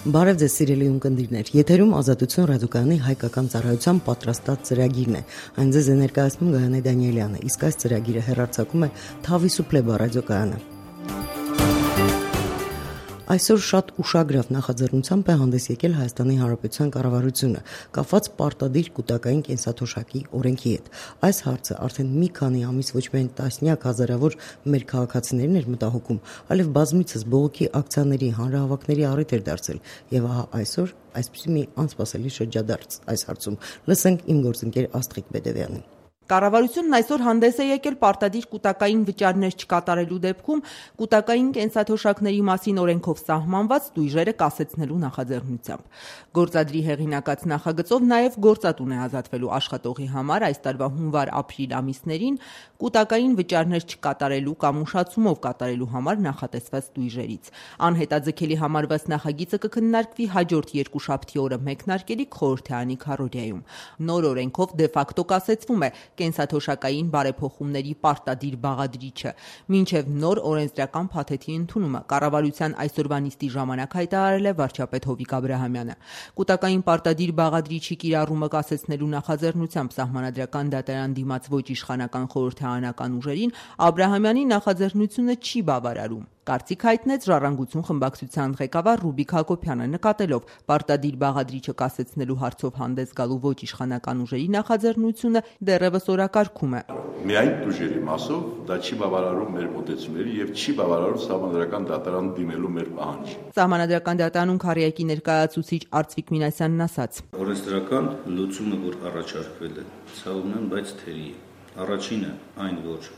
Բարև ձեզ սիրելի ունկնդիրներ, եթերում Ազատություն ռադիոկայանի հայկական ծառայության պատրաստած ծրագիրն է։ Այն ձեզ է ներկայացնում Գայանե Դանիելյանը, իսկ այս ծրագիրը հեռարձակում է Թավիսուպլեբա ռադիոկայանը։ Այսօր շատ ուշագրավ նախաձեռնությամբ է հանդես եկել Հայաստանի Հանրապետության կառավարությունը, կապված պարտադիր կուտակային կենսաթոշակի օրենքի հետ։ Այս հարցը արդեն մի քանի ամիս ոչ միայն տասնյակ հազարավոր մեր քաղաքացիներին էր մտահոգում, այլև բազմիցս բողոքի ակցիաների, հանրահավաքների առիթ էր դարձել, եւ ահա այսօր այսպիսի մի անսպասելի շրջադարձ այս հարցում։ Լսենք իմ գործընկեր Աստղիկ Բեդևյանին։ Կառավարությունն այսօր հանդես է եկել պարտադիր կուտակային վճարներ չկատարելու դեպքում կուտակային կենսաթոշակների մասին օրենքով սահմանված տույժերը կասեցնելու նախաձեռնությամբ։ Գործադրի հեղինակած նախագծով նաև գործատուն է ազատվելու աշխատողի համար այս տարվա հունվար-ապրիլ ամիսներին կուտակային վճարներ չկատարելու կամ ուշացումով կատարելու համար նախատեսված տույժերից։ Անհետաձգելի համարված նախագիծը կքննարկվի հաջորդ երկուշաբթի օրը մեկնարկելիք խորհրդարանի քարոզիայում։ Նոր օրենքով դեֆակտո կասեցվում է կենսաթոշակային բարեփոխումների պարտադիր բաղադրիչը, մինչև նոր օրենսդրական փաթեթի ընդունումը կառավարության այսօրվա նիստի ժամանակ հայտարարել է վարչապետ Հովիկ Աբրահամյանը։ Կուտակային պարտադիր բաղադրիչի կիրառումը կասեցնելու նախաձեռնությամբ Սահմանադրական դատարան դիմաց ոչ իշխանական խորհրդարանական ուժերին Աբրահամյանի նախաձեռնությունը չի բավարարում։ Կարծիք հայտնեց Ժառանգություն խմբակցության ղեկավար Ռուբիկ Հակոբյանը, նկատելով պարտադիր բաղադրիչը կասեցնելու հարցով հանդես գալու ոչ իշխանական ուժերի նախաձեռնությունը դեռևս օրակարգում է։ Միայն տույժերի մասով դա չի բավարարում մեր մոտեցումների եւ չի բավարարում Սահմանադրական դատարան դիմելու մեր պահանջը։ Սահմանադրական դատարանում քարոզիայի ներկայացուցիչ Արծվիկ Մինասյանն ասաց. Օրենսդրական լուծումը, որ առաջարկվել է, ցավում եմ, բայց թերի է։ Առաջինը այն, որ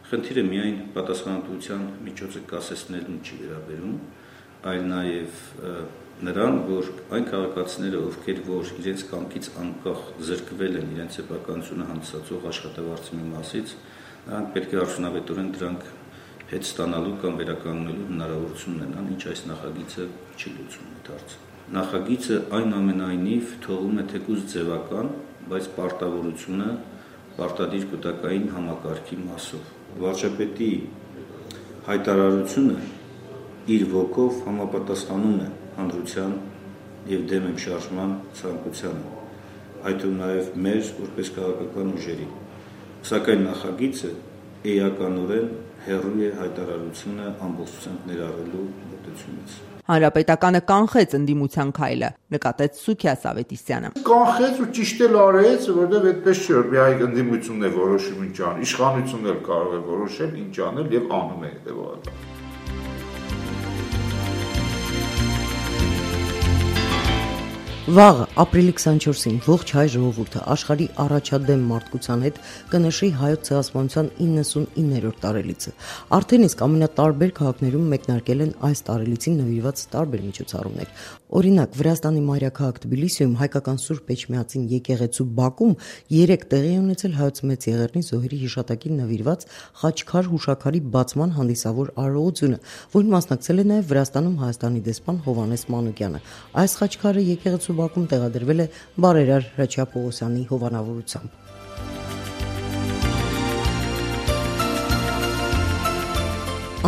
խնդիրը միայն պատասխանատվության միջոցը կասեցնելուն չի վերաբերում, այլ նաև նրան, որ այն քաղաքացիները, ովքեր որ իրենց կամքից անկախ զրկվել են իրենց սեփականությունը հանդիսացող աշխատավարձի մի մասից, նրանք պետք է արդյունավետորեն դրանք հետ ստանալու կամ վերականգնելու հնարավորություն ունենան, ինչ այս նախագիծը չի լուծում այդ հարցը։ Նախագիծը այնուամենայնիվ թողում է թեկուզ ձևական, բայց պարտավորությունը պարտադիր կուտակային համակարգի մասով։ Վարչապետի հայտարարությունը իր ոգով համապատասխանում է հանրության եւ դեմ եմ շարժման ցանկությանը, այդու նաեւ մեր որպես քաղաքական ուժերի։ Սակայն նախագիծը էականորեն հեռու է հայտարարությունը ամբողջությամբ ներառելու մոտեցումից։ Հանրապետականը կանխեց ընդդիմության քայլը, նկատեց Սուքիաս Ավետիսյանը։ Կանխեց ու ճիշտ էլ արեց, որովհետև այդպես չէ, որ միայն ընդդիմությունն է որոշում ինչ անել, իշխանությունն էլ կարող է որոշել ինչ անել եւ անում է հետեւաբար։ Վաղը ապրիլի 24-ին ողջ հայ ժողովուրդը աշխարհի առաջադեմ մարդկության հետ կնշի հայոց ցեղասպանության 99-րդ տարելիցը։ Արդեն իսկ ամենատարբեր քաղաքներում մեկնարկել են այս տարելիցին նվիրված տարբեր միջոցառումներ։ Օրինակ, Վրաստանի մայրաքաղաք Թբիլիսիում հայկական Սուրբ Էջմիածին եկեղեցու բակում 3 տեղի ունեցել հայոց մեծ եղեռնի զոհերի հիշատակին նվիրված խաչքար հուշաքարի բացման հանդիսավոր արարողությունը, որին մասնակցել է նաև Վրաստանում Հայաստանի դեսպան Հովհաննես Մանուկյանը։ Այս խաչքարը եկեղեցու բակում տեղադրվել է Բարերար Հրաչյա Պողոսյանի հովանավորությամբ։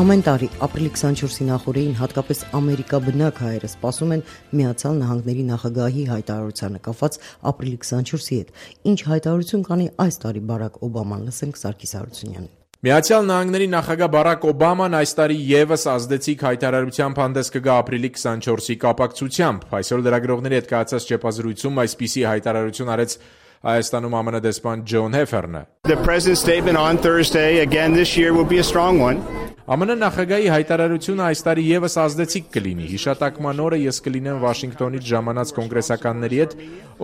Ամեն տարի ապրիլի 24-ի նախօրեին հատկապես Ամերիկա բնակ հայերը սպասում են Միացյալ Նահանգների նախագահի հայտարարությանը կապված ապրիլի 24-ի հետ։ Ինչ հայտարարություն կանի այս տարի Բարակ Օբաման, լսենք Սարգիս Հարությունյանին։ Միացյալ Նահանգների նախագահ Բարակ Օբաման այս տարի եւս ազդեցիկ հայտարարությամբ հանդես կգա ապրիլի 24-ի կապակցությամբ։ Այսօր լրագրողների հետ կայացած ճեպազրույցում այսպիսի հայտարարություն արեց Հայաստանում ԱՄՆ դեսպան Ջոն Հեֆերնը։ The president's statement on Thursday again this year will be a strong one. ԱՄՆ նախագահի հայտարարությունը այս տարի եւս ազդեցիկ կլինի։ Հիշատակման օրը ես կլինեմ Վաշինգտոնից ժամանած կոնգրեսականների հետ,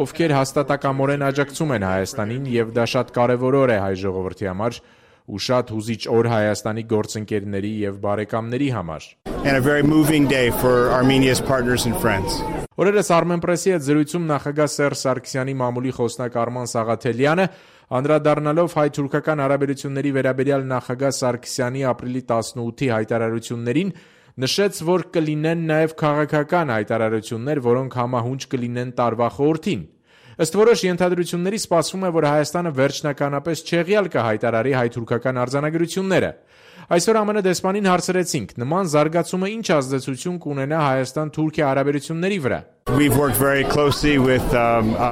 ովքեր հաստատակամորեն աջակցում են Հայաստանին, եւ դա շատ կարեւոր օր է հայ ժողովրդի համար ու շատ հուզիչ օր Հայաստանի գործընկերների եւ բարեկամների համար։ And a very moving day for Armenia's partners and friends. Օրերս Armenpress-ի հետ զրույցում նախագահ Սերժ Սարգսյանի մամուլի խոսնակ Արման Սաղաթելյանը անդրադառնալով հայ-թուրքական հարաբերությունների վերաբերյալ նախագահ Սարգսյանի ապրիլի 18-ի հայտարարություններին նշեց, որ կլինեն նաև քաղաքական հայտարարություններ, որոնք համահունչ կլինեն տարվա խորհրդին։ Ըստ որոշ ենթադրությունների սպասվում է, որ Հայաստանը վերջնականապես չեղյալ կհայտարարի հայ-թուրքական արձանագրությունները։ Այսօր ԱՄՆ դեսպանին հարցրեցինք, նման զարգացումը ինչ ազդեցություն կունենա Հայաստան-Թուրքիա հարաբերությունների վրա։ We've worked very closely with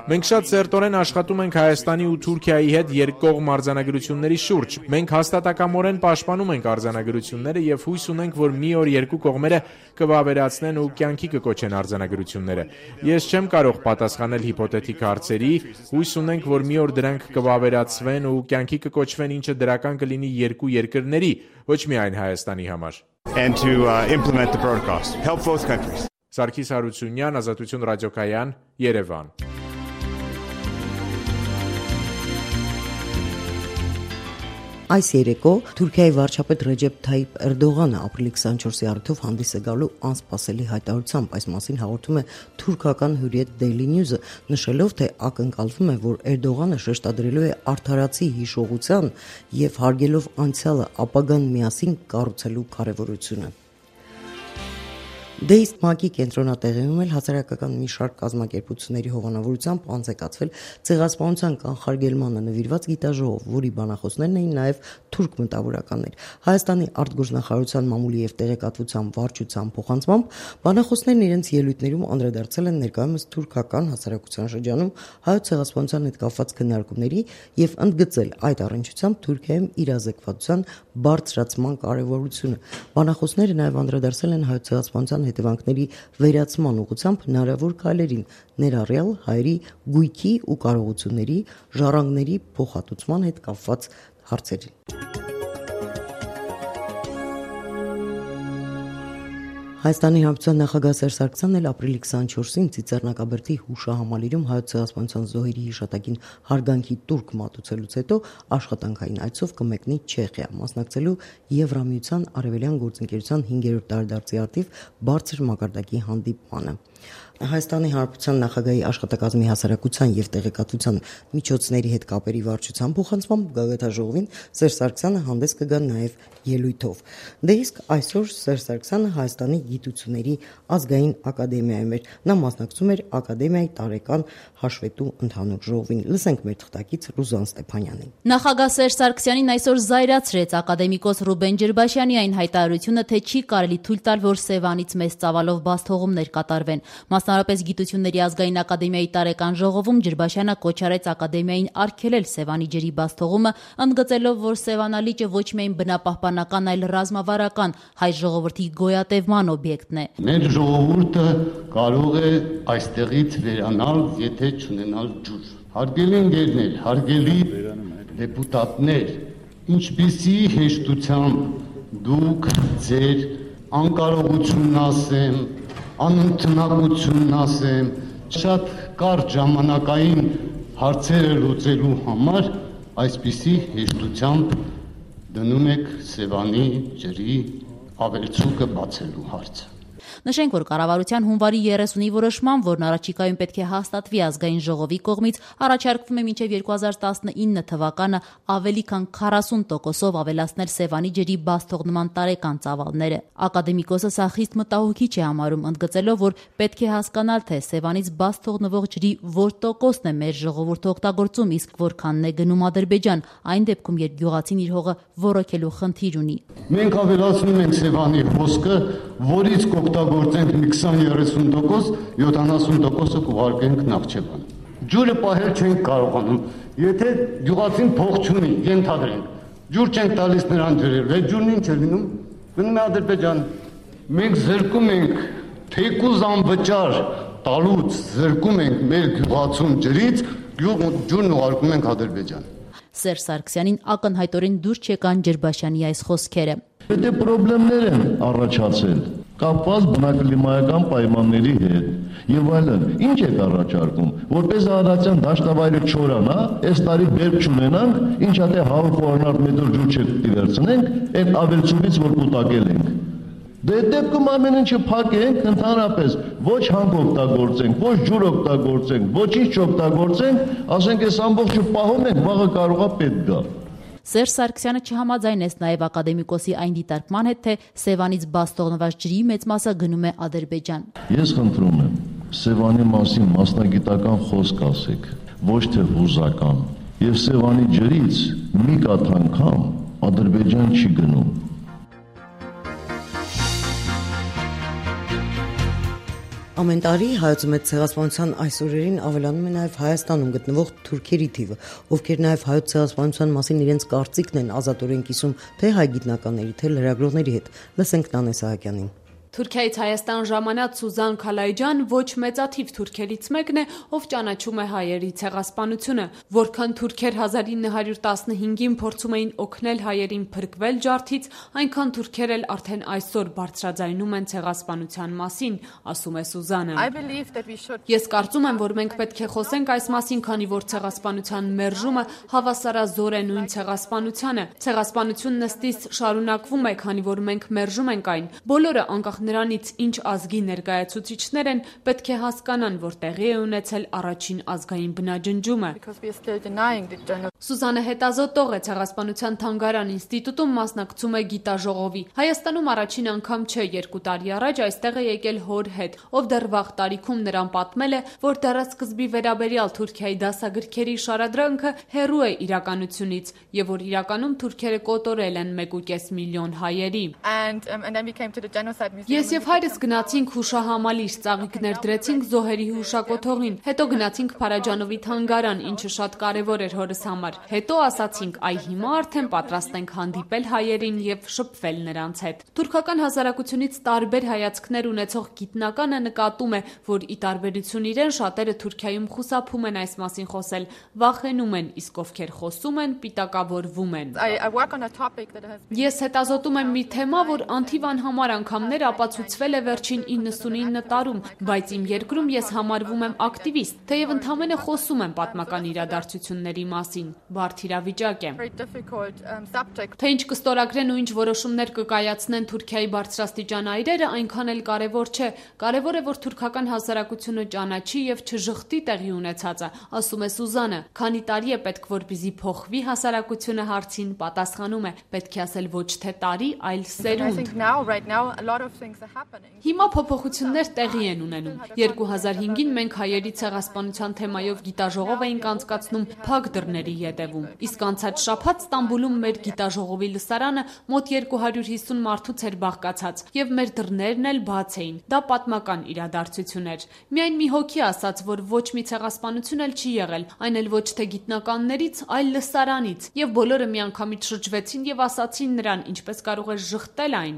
Մենք շատ սերտորեն աշխատում ենք Հայաստանի ու Թուրքիայի հետ երկկողմ արձանագրությունների շուրջ։ Մենք հաստատակամորեն պաշտպանում ենք արձանագրությունները եւ հույս ունենք, որ մի օր երկու կողմերը կվավերացնեն ու կյանքի կկոչեն արձանագրությունները։ Ես չեմ կարող պատասխանել հիպոթետիկ հարցերի, հույս ունենք, որ մի օր դրանք կվավերացվեն ու կյանքի կկոչվեն, ինչը դրական կլինի երկու երկրների, ոչ միայն Հայաստանի համար։ and to implement the protocols. Help both countries. Սարգիս Հարությունյան, Ազատություն ռադիոկայան, Երևան։ Այս երեկո Թուրքիայի վարչապետ Ռեջեփ Թայիփ Էրդողանը ապրիլի 24-ի առիթով հանդիս է գալու անսպասելի հայտարարությամբ, այս մասին հաղորդում է թուրքական Hürriyet Daily News-ը, նշելով, թե ակնկալվում է, որ Էրդողանը շեշտադրելու է արդարացի հիշողության եւ հարգելով անցյալը ապագան միասին կառուցելու կարեւորությունը։ Դեիստ ՄԱԿ-ի կենտրոնատեղիում էլ հասարակական մի շարք կազմակերպությունների հովանավորությամբ անցեկացվել ցեղասպանության կանխարգելմանը նվիրված գիտաժողով, որի բանախոսներն էին նաև թուրք մտավորականներ։ Հայաստանի արտգործնախարարության մամուլի եւ տեղեկատվության վարչության փոխանցմամբ բանախոսներն իրենց ելույթներում անդրադարձել են ներկայումս թուրքական հասարակության շրջանում հայոց ցեղասպանության հետ կապված քննարկումների եւ ընդգծել այդ առնչությամբ Թուրքիայում իրազեկվածության բարձրացման կարեւորությունը։ Բանախոսները նաև անդրադարձել են հայոց ցեղասպանության հետևանքների վերացման ուղղությամբ հնարավոր քայլերին, ներառյալ հայերի գույքի ու կարողությունների, ժառանգների փոխհատուցման հետ կապված հարցերին։ Հայաստանի Հանրապետության նախագահ Սերժ Սարգսյանն էլ ապրիլի 24-ին Ծիծեռնակաբերդի հուշահամալիրում հայոց ցեղասպանության զոհերի հիշատակին հարգանքի տուրք մատուցելուց հետո աշխատանքային այցով կմեկնի Չեխիա, մասնակցելու Եվրամիության Արևելյան գործընկերության 5-րդ տարեդարձի արդիվ բարձր մակարդակի հանդիպմանը։ Հայաստանի Հանրապետության նախագահի աշխատակազմի հասարակության եւ տեղեկատվության միջոցների հետ կապերի վարչության փոխանցմամբ գագաթաժողովին Սերժ Սարգսյանը հանդես կգա նաեւ ելույթով։ Դե իսկ այսօր Սերժ Սարգսյանը Հայաստանի Գիտությունների ազգային ակադեմիայում էր։ Նա մասնակցում էր ակադեմիայի տարեկան հաշվետու ընդհանուր ժողովին։ Լսենք մեր թղթակից Ռուզան Ստեփանյանին։ Նախագահ Սերժ Սարգսյանին այսօր զայրացրեց ակադեմիկոս Ռուբեն Ջրբաշյանի այն հայտարարությունը, թե չի կարելի թույլ տալ, որ Սևանից մեծ ծավալով բացթողումներ կատարվեն։ Մասնարարպես Գիտությունների ազգային ակադեմիայի տարեկան ժողովում Ջրբաշյանը կոչ արեց ակադեմիային արգելել Սևանի ջրի բացթողումը, ընդգծելով, որ Սևանալիճը ոչ միայն բնապահպանական, այլ ռազմավարական հայ ժողովրդի գոյատևման օբյեկտն է։ Մեր ժողովուրդը կարող է այստեղից վերանալ, եթե չունենալ ջուր։ Հարգելի ընկերներ, հարգելի դեպուտատներ, ինչպիսի հեշտությամբ դուք ձեր անկարողությունն ասեմ, անընդունակությունն ասեմ, շատ կարճ ժամանակային հարցերը լուծելու համար այսպիսի հեշտությամբ դնում եք Սևանի ջրի ավելցուկը բացելու հարցը։ Նշենք, որ կառավարության հունվարի 30-ի որոշմամբ, որն առաջիկայում պետք է հաստատվի ազգային ժողովի կողմից, առաջարկվում է մինչև 2019 թվականը ավելի քան 40%-ով ավելացնել Սևանի ջրի բացթողնման տարեկան ծավալները։ Ակադեմիկոսը սա խիստ մտահոգիչ է համարում, ընդգծելով, որ պետք է հասկանալ, թե Սևանից բաց թողնվող ջրի որ տոկոսն է մեր ժողովուրդը օգտագործում, իսկ որքանն է գնում Ադրբեջան, այն դեպքում, երբ գյուղացին իր հողը ոռոգելու խնդիր ունի։ Մենք ավելացնում ենք Սևանի հոսքը, որից կօգտագործենք մի 20-30%, 70%-ը կուղարկենք Նախճեվան։ Ջուրը պահել չենք կարողանում։ Եթե գյուղացին փող չունի, ենթադրենք, ջուր չենք տալիս նրան ջրել, այդ ջուրն ինչ է լինում։ Գնում է Ադրբեջան։ Մենք զրկում ենք թեկուզ անվճար տալուց, զրկում ենք մեր գյուղացուն ջրից, ջուրն ուղարկում ենք Ադրբեջան։ Սերժ Սարգսյանին ակնհայտորեն դուր չեկան Ջրբաշյանի այս խոսքերը։ Եթե խնդիրներ են առաջացել կապված բնակլիմայական պայմանների հետ եւ այլն, ինչ եք առաջարկում, որպես Արարատյան դաշտավայրը չորանա, այս տարի բերք չունենանք, ինչա թե 100 մետր ջուր չտիվերցնենք, այդ ավելցուկից որ կուտակել ենք։ Դե դեպքում ամեն ինչը փակենք, ընդհանրապես ոչ հանք օգտագործենք, ոչ ջուր օգտագործենք, ոչինչ չօգտագործենք, ասենք այս ամբողջը պահում ենք, վաղը կարողա պետք գա։ Սերժ Սարգսյանը չհամաձայնեց նաև ակադեմիկոսի այն դիտարկման հետ, թե Սևանից բաց թողնված ջրի մեծ մասը գնում է Ադրբեջան։ Ես խնդրում եմ, Սևանի մասին մասնագիտական խոսք ասեք, ոչ թե հուզական։ Եվ Սևանի ջրից մի կաթ անգամ Ադրբեջան չի գնում։ Ամեն տարի հայոց մեծ ցեղասպանության այս օրերին ավելանում է նաև Հայաստանում գտնվող թուրքերի թիվը, ովքեր նաև հայոց ցեղասպանության մասին իրենց կարծիքն են ազատորեն կիսում թե հայ գիտնականների, թե լրագրողների հետ։ Լսենք Նանե Սահակյանին։ Թուրքիայից Հայաստան ժամանած Սուզան Քալայջան ոչ մեծաթիվ թուրքերից մեկն է, ով ճանաչում է հայերի ցեղասպանությունը, որքան թուրքեր 1915-ին փորձում էին օգնել հայերին փրկվել ջարդից, այնքան թուրքեր էլ արդեն այսօր բարձրաձայնում են ցեղասպանության մասին, ասում է Սուզանը։ Ես կարծում եմ, որ մենք պետք է խոսենք այս մասին, քանի որ ցեղասպանության մերժումը հավասարազոր է նույն ցեղասպանությանը։ Ցեղասպանությունն ըստիս շարունակվում է, քանի որ մենք մերժում ենք այն։ Բոլորը անկախ նրանից ինչ ազգի ներկայացուցիչներ են, պետք է հասկանան, որ տեղի է ունեցել առաջին ազգային բնաջնջումը։ Սուզանը հետազոտող է, ցեղասպանության թանգարան ինստիտուտում մասնակցում է գիտաժողովի։ Հայաստանում առաջին անգամ չէ, 2 տարի առաջ այստեղ է եկել հոր հետ, ով դեռ վաղ տարիքում նրան պատմել է, որ դարասկզբի վերաբերյալ Թուրքիայի դասագրքերի շարադրանքը հեռու է իրականությունից եւ որ իրականում թուրքերը կոտորել են 1.5 միլիոն հայերի։ Ես եւ հայրս գնացինք հուշահամալիր, ծաղիկներ դրեցինք զոհերի հուշակոթողին, հետո գնացինք Փարաջանովի թանգարան, ինչը շատ կարեւոր էր հորս համար։ Հետո ասացինք, այ հիմա արդեն պատրաստ ենք հանդիպել հայերին եւ շփվել նրանց հետ։ Թուրքական հասարակությունից տարբեր հայացքներ ունեցող գիտնականը նկատում է, որ ի տարբերություն իրեն շատերը Թուրքիայում խուսափում են այս մասին խոսել, վախենում են, իսկ ովքեր խոսում են, պիտակավորվում են։ Ես հետազոտում եմ մի թեմա, որ անթիվ անհամար անգամներ ապացուցվել է վերջին 99 տարում, բայց իմ երկրում ես համարվում եմ ակտիվիստ, թեև ընդհանրապես խոսում եմ պատմական իրադարձությունների մասին։ Բարդ իրավիճակ է։ Թե ինչ կստորագրեն ու ինչ որոշումներ կկայացնեն Թուրքիայի բարձրաստիճան այրերը, այնքան էլ կարևոր չէ։ Կարևոր է, որ թուրքական հասարակությունը ճանաչի եւ չժխտի տեղի ունեցածը, ասում է Սուզանը։ Քանի տարի է պետք, որպեսզի փոխվի հասարակությունը հարցին, պատասխանում է, պետք է ասել ոչ թե տարի, այլ սերունդ։ Հիմա փոփոխություններ տեղի են ունենում։ 2005-ին մենք հայերի ցեղասպանության թեմայով գիտաժողով էինք անցկացնում փակ դռների ետևում։ Իսկ անցած շաբաթ Ստամբուլում մեր գիտաժողովի լսարանը մոտ 250 մարդուց էր բաղկացած, եւ մեր դռներն էլ բաց էին։ Դա պատմական իրադարձություն էր։ Միայն մի հոգի ասաց, որ ոչ մի ցեղասպանություն էլ չի եղել, այն էլ ոչ թե գիտնականներից, այլ լսարանից, եւ բոլորը միանգամից շրջվեցին եւ ասացին նրան, ինչպես կարող է ժխտել այն։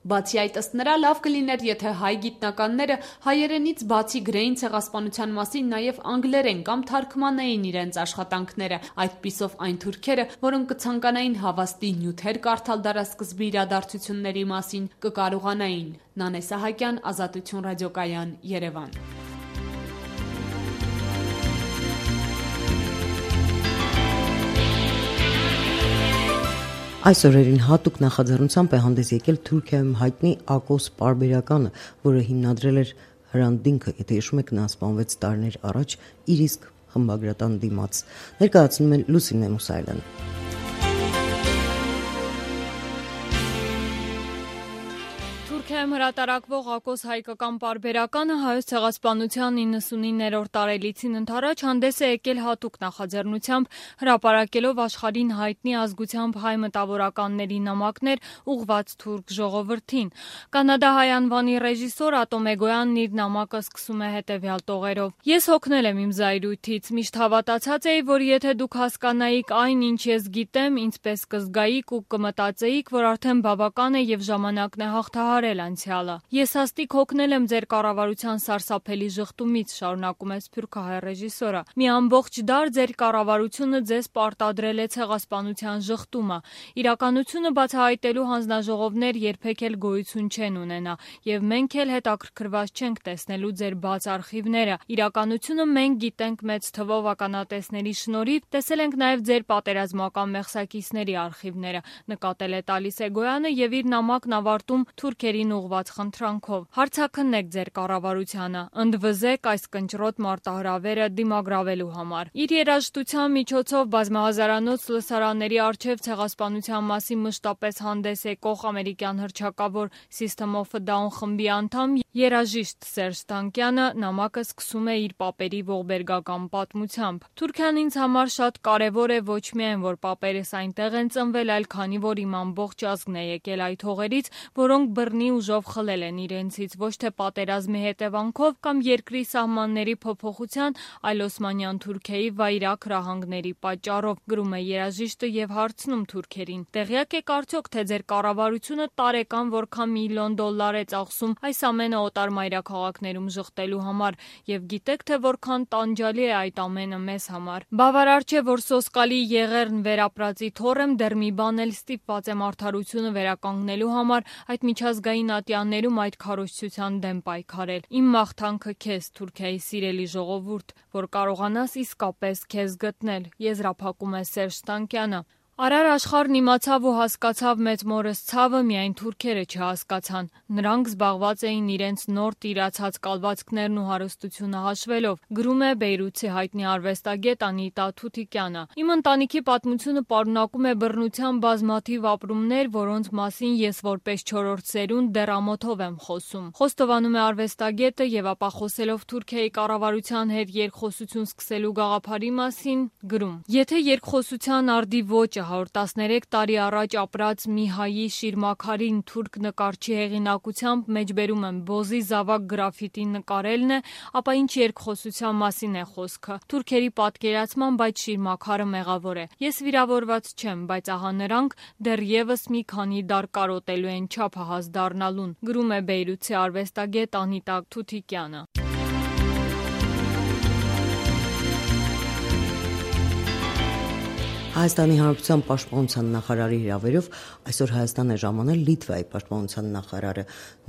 Բացի այդ, ըստ նրա, լավ կլիներ, եթե հայ գիտնականները հայերենից բացի գրեին ցեղասպանության մասին նաև անգլերեն կամ թարգմանեին իրենց աշխատանքները, այդպիսով այն թուրքերը, որոնք կցանկանային հավաստի նյութեր կարդալ դարասկզբի իրադարձությունների մասին, կկարողանային։ Նանե Սահակյան, Ազատություն ռադիոկայան, Երևան։ Այս օրերին հատուկ նախաձեռնությամբ է հանդես եկել Թուրքիայում հայտնի Ակոս պարբերականը, որը հիմնադրել էր Հրանտ Դինքը, եթե հիշում եք, նա սպանվեց տարիներ առաջ իր իսկ խմբագրատան դիմաց։ Ներկայացնում է Լուսինե Մուսայելյանը։ Թուրքիայում հրատարակվող Ակոս հայկական պարբերականը հայոց ցեղասպանության 99-րդ տարելիցին ընդառաջ հանդես է եկել հատուկ նախաձեռնությամբ, հրապարակելով աշխարհին հայտնի ազգությամբ հայ մտավորականների նամակներ ուղղված թուրք ժողովրդին։ Կանադահայ անվանի ռեժիսոր Ատոմ Էգոյանն իր նամակը սկսում է հետևյալ տողերով. Ես հոգնել եմ իմ զայրույթից, միշտ հավատացած էի, որ եթե դուք հասկանայիք այն, ինչ ես գիտեմ, ինձպես կզգայիք ու կմտածեիք, որ արդեն բավական է եւ ժամանակն է հաղթահարել անցյալը։ Ես հաստիկ հոգնել եմ ձեր կառավարության սարսափելի ժխտումից, շարունակում է սփյուռքահայ ռեժիսորը։ Մի ամբողջ դար ձեր կառավարությունը ձեզ պարտադրել է ցեղասպանության ժխտումը։ Իրականությունը բացահայտելու հանձնաժողովներ երբեք էլ գոյություն չեն ունենա, եւ մենք էլ հետաքրքրված չենք տեսնելու ձեր բաց արխիվները։ Իրականությունը մենք գիտենք մեծ թվով ականատեսների շնորհիվ, տեսել ենք նաեւ ձեր պատերազմական մեղսակիցների արխիվները, նկատել է տալիս Էգոյանը եւ իր նամակն ավարտում թուրքերի երկրին ուղված խնդրանքով։ Հարցաքննեք ձեր կառավարությանը, ընդվզեք այս կնճռոտ մարտահրավերը դիմագրավելու համար։ Իր երաժշտության միջոցով բազմահազարանոց լսարանների առջև ցեղասպանության մասին մշտապես հանդես եկող ամերիկյան հռչակավոր System of a Down խմբի անդամ երաժիշտ Սերժ Թանկյանը նամակը սկսում է իր պապերի ողբերգական պատմությամբ։ Թուրքիան ինձ համար շատ կարևոր է ոչ միայն, որ պապերս այնտեղ են ծնվել, այլ քանի որ իմ ամբողջ ազգն է եկել այդ հողերից, որոնք բռնի ուժով խլել են իրենցից, ոչ թե պատերազմի հետևանքով կամ երկրի սահմանների փոփոխության, այլ Օսմանյան Թուրքիայի վայրագ ռահանգների պատճառով, գրում է երաժիշտը եւ հարցնում թուրքերին. Տեղյակ եք արդյոք, թե ձեր կառավարությունը տարեկան որքան $1 միլիոն է ծախսում այս ամենը օտար մայրաքաղաքներում ժխտելու համար, եւ գիտեք, թե որքան տանջալի է այդ ամենը մեզ համար։ Բավարար չէ, որ սոսկալի Եղեռն վերապրածի թոռեմ, դեռ մի բան էլ ստիպված եմ արդարությունը վերականգնելու համար այդ միջազգային ատյաններում այդ քարոզչության դեմ պայքարել։ Իմ մաղթանքը քեզ, Թուրքիայի սիրելի ժողովուրդ, որ կարողանաս իսկապես քեզ գտնել, եզրափակում է Սերժ Թանկյանը։ Արար աշխարհն իմացավ ու հասկացավ մեծ մորս ցավը, միայն թուրքերը չհասկացան։ Նրանք զբաղված էին իրենց նոր տիրացած կալվածքներն ու հարստությունը հաշվելով, գրում է Բեյրութի հայտնի արվեստագետ Անիտա Թութիկյանը։ Իմ ընտանիքի պատմությունը պարունակում է բռնության բազմաթիվ ապրումներ, որոնց մասին ես որպես 4-րդ սերունդ դեռ ամոթով եմ խոսում։ Խոստովանում է արվեստագետը եւ ապա խոսելով Թուրքիայի կառավարության հետ երկխոսություն սկսելու գաղափարի մասին, գրում. Եթե երկխոսության արդի ոճը 113 տարի առաջ ապրած մի հայի Շիրմաքարին թուրք նկարչի հեղինակությամբ մեջբերում եմ Բոզի զավակ գրաֆիտի նկարելն է, ապա ինչ երկխոսության մասին է խոսքը։ Թուրքերի պատկերացման, բայց Շիրմաքարը մեղավոր է։ Ես վիրավորված չեմ, բայց ահա նրանք դեռևս մի քանի դար կարոտելու են չափահաս դառնալուն, գրում է Բեյրութի արվեստագետ Անիտա Թութիկյանը։ Հայաստանի Հանրապետության պաշտպանության նախարարի հրավերով այսօր Հայաստան է ժամանել Լիտվայի պաշտպանության նախարարը։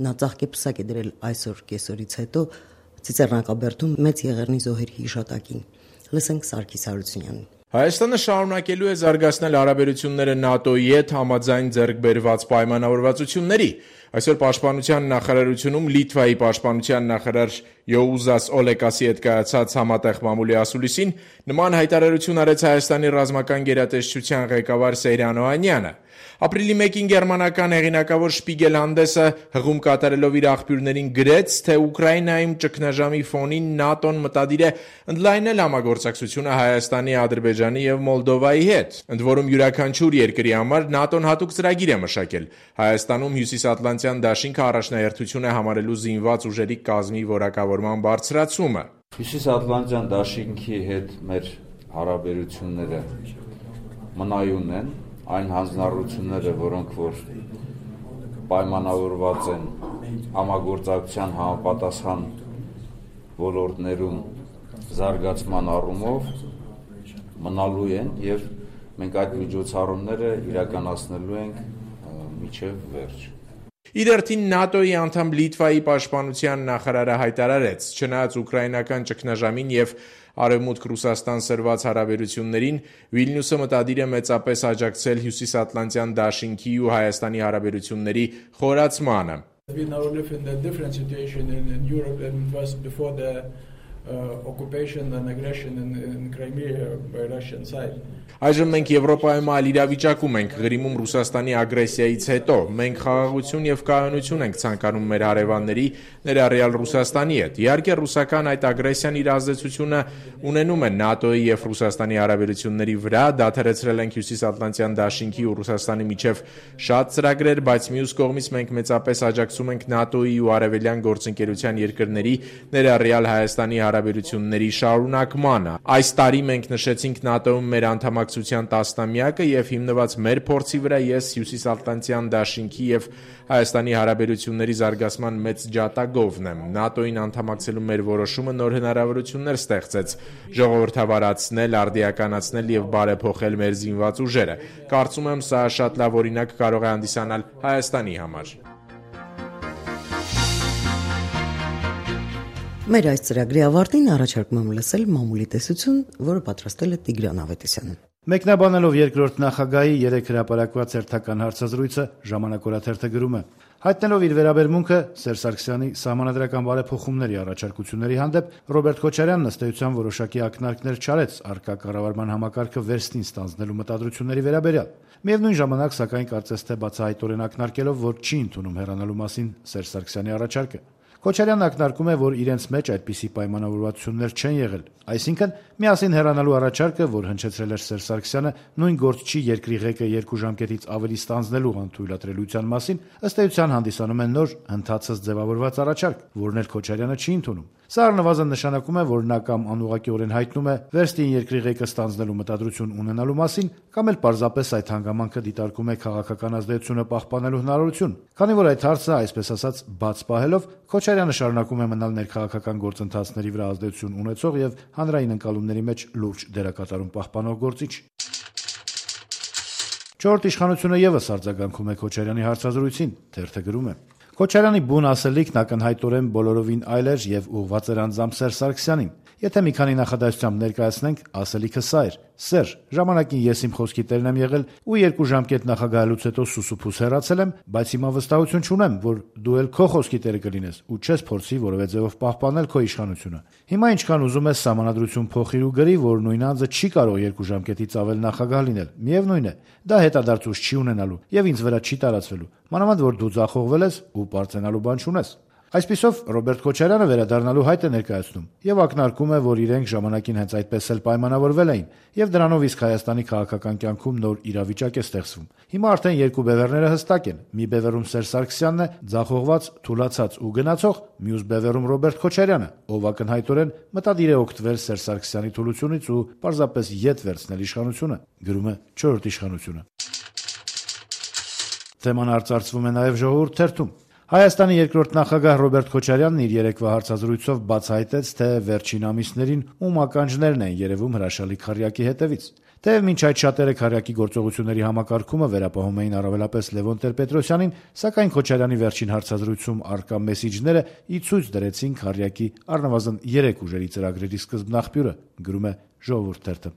Նա ծաղկեպսակ է դրել այսօր կեսօրից հետո Ծիծեռնակաբերդում Մեծ Եղեռնի զոհերի հիշատակին։ Լսենք Սարգիս Հարությունյանին։ Հայաստանը շարունակելու է զարգացնել հարաբերությունները ՆԱՏՕ-ի հետ համաձայն ձեռք բերված պայմանավորվածությունների։ Այսօր Պաշտպանության նախարարությունում Լիտվայի պաշտպանության նախարար Յոուզաս Օլեկասի հետ կայացած համատեղ մամուլի ասուլիսին նման հայտարարություն արեց Հայաստանի ռազմական գերատեսչության ղեկավար Սեյրան Օհանյանը։ Ապրիլի 1-ին գերմանական հեղինակավոր Շպիգել հանդեսը հղում կատարելով իր աղբյուրներին գրեց, թե Ուկրաինայում ճգնաժամի ֆոնին ՆԱՏՕ-ն մտադիր է ընդլայնել համագործակցությունը Հայաստանի, Ադրբեջանի եւ Մոլդովայի հետ։ Ընդ որում յուրաքանչյուր երկրի համար ՆԱՏՕ-ն հատուկ ծրագիր է մշակել։ Հայաստանում Հյուսիսատլանտյան դաշինքը առաջնահերթություն է համարելու զինված ուժերի կազմի որակավորման բարձրացումը։ Հյուսիսատլանտյան դաշինքի հետ մեր հարաբերությունները մնայուն են, այն հանձնառությունները, որոնք որ պայմանավորված են համագործակցության համապատասխան ոլորտներում զարգացման առումով մնալու են եւ մենք այդ միջոցառումները իրականացնելու ենք մինչեւ վերջ։ Իր հերթին ՆԱՏՕ-ի անդամ Լիտվայի պաշտպանության նախարարը հայտարարեց, չնայած ուկրաինական ճգնաժամին եւ Արևմուտք Ռուսաստան սրված հարաբերություններին, Վիլնյուսը մտադիր է մեծապես աջակցել Հյուսիսատլանտյան դաշինքի ու Հայաստանի հարաբերությունների խորացմանը։ Occupation and aggression in Crimea by Russian side. Այժմ մենք Եվրոպայում այլ իրավիճակում ենք, Ղրիմում Ռուսաստանի ագրեսիայից հետո։ Մենք խաղաղություն եւ կայունություն ենք ցանկանում մեր հարևանների, ներառյալ Ռուսաստանի հետ։ Իհարկե, ռուսական այդ ագրեսիան իր ազդեցությունը ունենում է ՆԱՏՕ-ի եւ Ռուսաստանի հարաբերությունների վրա, դադարեցրել ենք Հյուսիսատլանտյան դաշինքի ու Ռուսաստանի միջև շատ ծրագրեր, բայց մյուս կողմից մենք մեծապես աջակցում ենք ՆԱՏՕ-ի ու արևելյան գործընկերության երկրների, ներառյալ Հայաստանի հարաբերությունների շարունակմանը։ Այս տարի մենք նշեցինք ՆԱՏՕ-ում մեր անդամակցության 10-ամյակը եւ հիմնված մեր փորձի վրա ես Հյուսիսատլանտյան դաշինքի եւ Հայաստանի հարաբերությունների զարգացման մեծ ջատագովն եմ։ ՆԱՏՕ-ին անդամակցելու մեր որոշումը նոր հնարավորություններ ստեղծեց ժողովրդավարացնել, արդիականացնել եւ բարեփոխել մեր զինված ուժերը։ Կարծում եմ, սա շատ լավ օրինակ կարող է հանդիսանալ Հայաստանի համար։ Մեր այս ծրագրի ավարտին առաջարկում եմ լսել մամուլի տեսություն, որը պատրաստել է Տիգրան Ավետիսյանը։ Մեկնաբանելով երկրորդ նախագահի 3 հրապարակված հերթական հարցազրույցը, Ժամանակ օրաթերթը գրում է. Հայտնելով իր վերաբերմունքը Սերժ Սարգսյանի սահմանադրական բարեփոխումների առաջարկությունների հանդեպ Ռոբերտ Քոչարյանն ըստ էության որոշակի ակնարկներ չարեց առկա կառավարման համակարգը վերստին ստանձնելու մտադրությունների վերաբերյալ։ Միևնույն ժամանակ, սակայն, կարծես թե բացահայտորեն ակնարկելով, որ չի ընդունում հեռանալու մասին Սերժ Սարգսյանի առաջարկը։ Քոչարյանն ակնարկում է, որ իրենց մեջ այդպիսի պայմանավորվածություններ չեն եղել, այսինքն միասին հեռանալու առաջարկը, որ հնչեցրել էր Սերժ Սարգսյանը, նույն գործ չի երկրի ղեկը 2 ժամկետից ավելի ստանձնելու անթույլատրելիության մասին, ըստ էության հանդիսանում է նոր հնդածած ձևավորված առաջարկ, որն էլ Քոչարյանը չի ընդունում։ Սա առնվազն նշանակում է, որ նա կամ անուղղակիորեն հայտնում է վերստին երկրի ղեկը ստանձնելու մտադրություն ունենալու մասին, կամ էլ պարզապես այդ հանգամանքը դիտարկում է քաղաքական ազդեցությունը պահպանելու հնարավորություն։ Քանի որ այդ հարցը, այսպես ասած, բաց պահելով, Քոչարյանը շարունակում է մնալ ներքաղաքական գործընթացների վրա ազդեցություն ունեցող եւ հանրային ընկալումների մեջ լուրջ դերակատարում պահպանող գործիչ։ Չորրորդ իշխանությունը եւս արձագանքում է Քոչարյանի հարցազրույցին, թերթը գրում է. Քոչարյանի բուն ասելիքն ակնհայտորեն բոլորովին այլ էր եւ ուղղված էր անձամբ Սերժ Սարգսյանին։ Եթե մի քանի նախադասությամբ ներկայացնենք, ասելիքը սա էր. Սերժ, ժամանակին ես իմ խոսքի տերն եմ եղել ու 2 ժամկետ նախագահելուց հետո սուսուփուս հեռացել եմ, բայց հիմա վստահություն չունեմ, որ դու էլ քո խոսքի տերը կլինես ու չես փորձի որևէ ձևով պահպանել քո իշխանությունը։ Հիմա ինչքան ուզում ես սահմանադրություն փոխիր ու գրի, որ նույն անձը չի կարող 2 ժամկետից ավել նախագահ լինել։ Միևնույն է, դա հետադարձույց չի ունենալու եւ ինձ վրա չի տարածվելու։ Մանավանդ որ դու ձախողվել ես ու պարծենալու բան չունես։ Այսպիսով Ռոբերտ Քոչարյանը վերադառնալու հայտ է ներկայացնում եւ ակնարկում է, որ իրենք ժամանակին հենց այդպես էլ պայմանավորվել էին եւ դրանով իսկ Հայաստանի քաղաքական կյանքում նոր իրավիճակ է ստեղծվում։ Հիմա արդեն 2 բևեռները հստակ են։ Մի բևեռում Սերժ Սարգսյանն է, ձախողված, թուլացած ու գնացող, մյուս բևեռում Ռոբերտ Քոչարյանը, ով ակնհայտորեն մտադիր է օգտվել Սերժ Սարգսյանի թուլությունից ու պարզապես ետ վերցնել իշխանությունը, գրում է 4-րդ իշխանությունը։ Թեման արծարծվում է նաեւ Ժողովուրդ թերթում։ Հայաստանի երկրորդ նախագահ Ռոբերտ Քոչարյանն իր երեկվա հարցազրույցով բացահայտեց, թե վերջին ամիսներին ում ականջներն են երևում հրաշալի քառյակի հետևից։ Թեև մինչ այդ շատերը քառյակի գործողությունների համակարգումը վերապահում էին առավելապես Լևոն Տեր-Պետրոսյանին, սակայն Քոչարյանի վերջին հարցազրույցում առկա մեսիջները ի ցույց դրեցին քառյակի առնվազն 3 ուժերի ծրագրերի սկզբնաղբյուրը, գրում է Ժողովուրդ թերթը։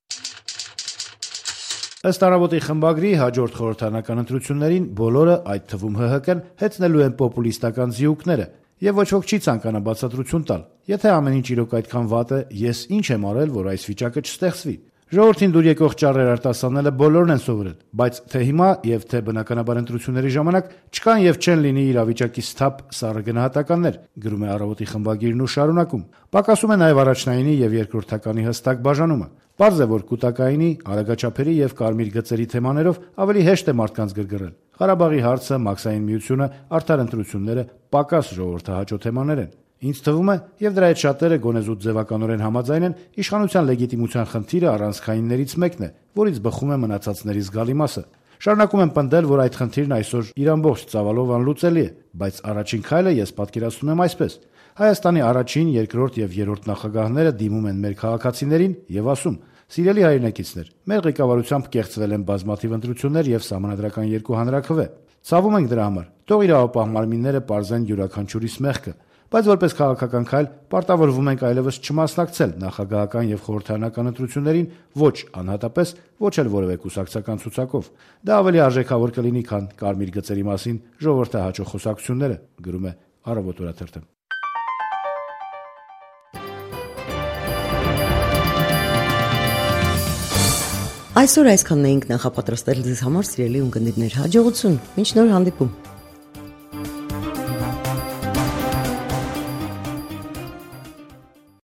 Ըստ Առավոտի խմբագրի հաջորդ խորհրդարանական ընտրություններին բոլորը, այդ թվում ՀՀԿ-ն, հեծնելու են պոպուլիստական զիուկները, եւ ոչ ոք չի ցանկանա բացատրություն տալ։ Եթե ամեն ինչ իրոք այդքան վատ է, ես ինչ եմ արել, որ այս վիճակը չստեղծվի։ Ժողովրդին դուր եկող ճառեր արտասանելը բոլորն են սովորել, բայց թե հիմա եւ թե բնականաբար ընտրությունների ժամանակ չկան եւ չեն լինի իրավիճակի սթափ սառը գնահատականներ, գրում է Առավոտի խմբագիրն ու շարունակում։ Պակասում է նաեւ առաջնայինի եւ երկրորդականի հստակ բաժանումը։ Պարզ է, որ կൂട്ടակայինի, արագաչափերի եւ կարմիր գծերի թեմաներով ավելի հեշտ է մարդկանց գրգռել։ Ղարաբաղի հարցը, Մաքսային միությունը, արդար ընտրությունները պակաս ժողովրդահաճո թեմաներ են։ Ինձ թվում է, եւ դրա հետ շատերը գոնեզուտ ձևականորեն համաձայն են, իշխանության լեգիտիմության խնդիրը առանցքայիններից մեկն է, որից բխում է մնացածների զգալի մասը։ Շարունակում եմ պնդել, որ այդ խնդիրն այսօր իր ամբողջ ծավալով անլուծելի է, բայց առաջին քայլը ես պատկերացնում եմ այսպես. Հայաստանի առաջին, երկրորդ եւ երրորդ նախագահները դիմում են մեր քաղաքացիներին եւ ասում. «Սիրելի հայրենակիցներ, մեր ղեկավարությամբ կեղծվել են բազմաթիվ ընտրություններ եւ սահմանադրական 2 հանրաքվե։ Ցավում ենք դրա համար։ Թող իրավապահ մարմինները պարզեն յուրաքանչյուրիս մեղքը, բայց որպես քաղաքական քայլ պարտավորվում ենք այլևս չմասնակցել նախագահական եւ խորհրդարանական ընտրություններին ոչ անհատապես, ոչ էլ որևէ կուսակցական ցուցակով։ Դա ավելի արժեքավոր կլինի, քան կարմիր գծերի մասին ժողովրդահաճո խոսակցությունները», գրում է Առավոտ օրաթերթը։ Այսօր այսքանն էինք նախապատրաստել ձեզ համար, սիրելի ունկնդիրներ, հաջողություն, մինչ նոր հանդիպում։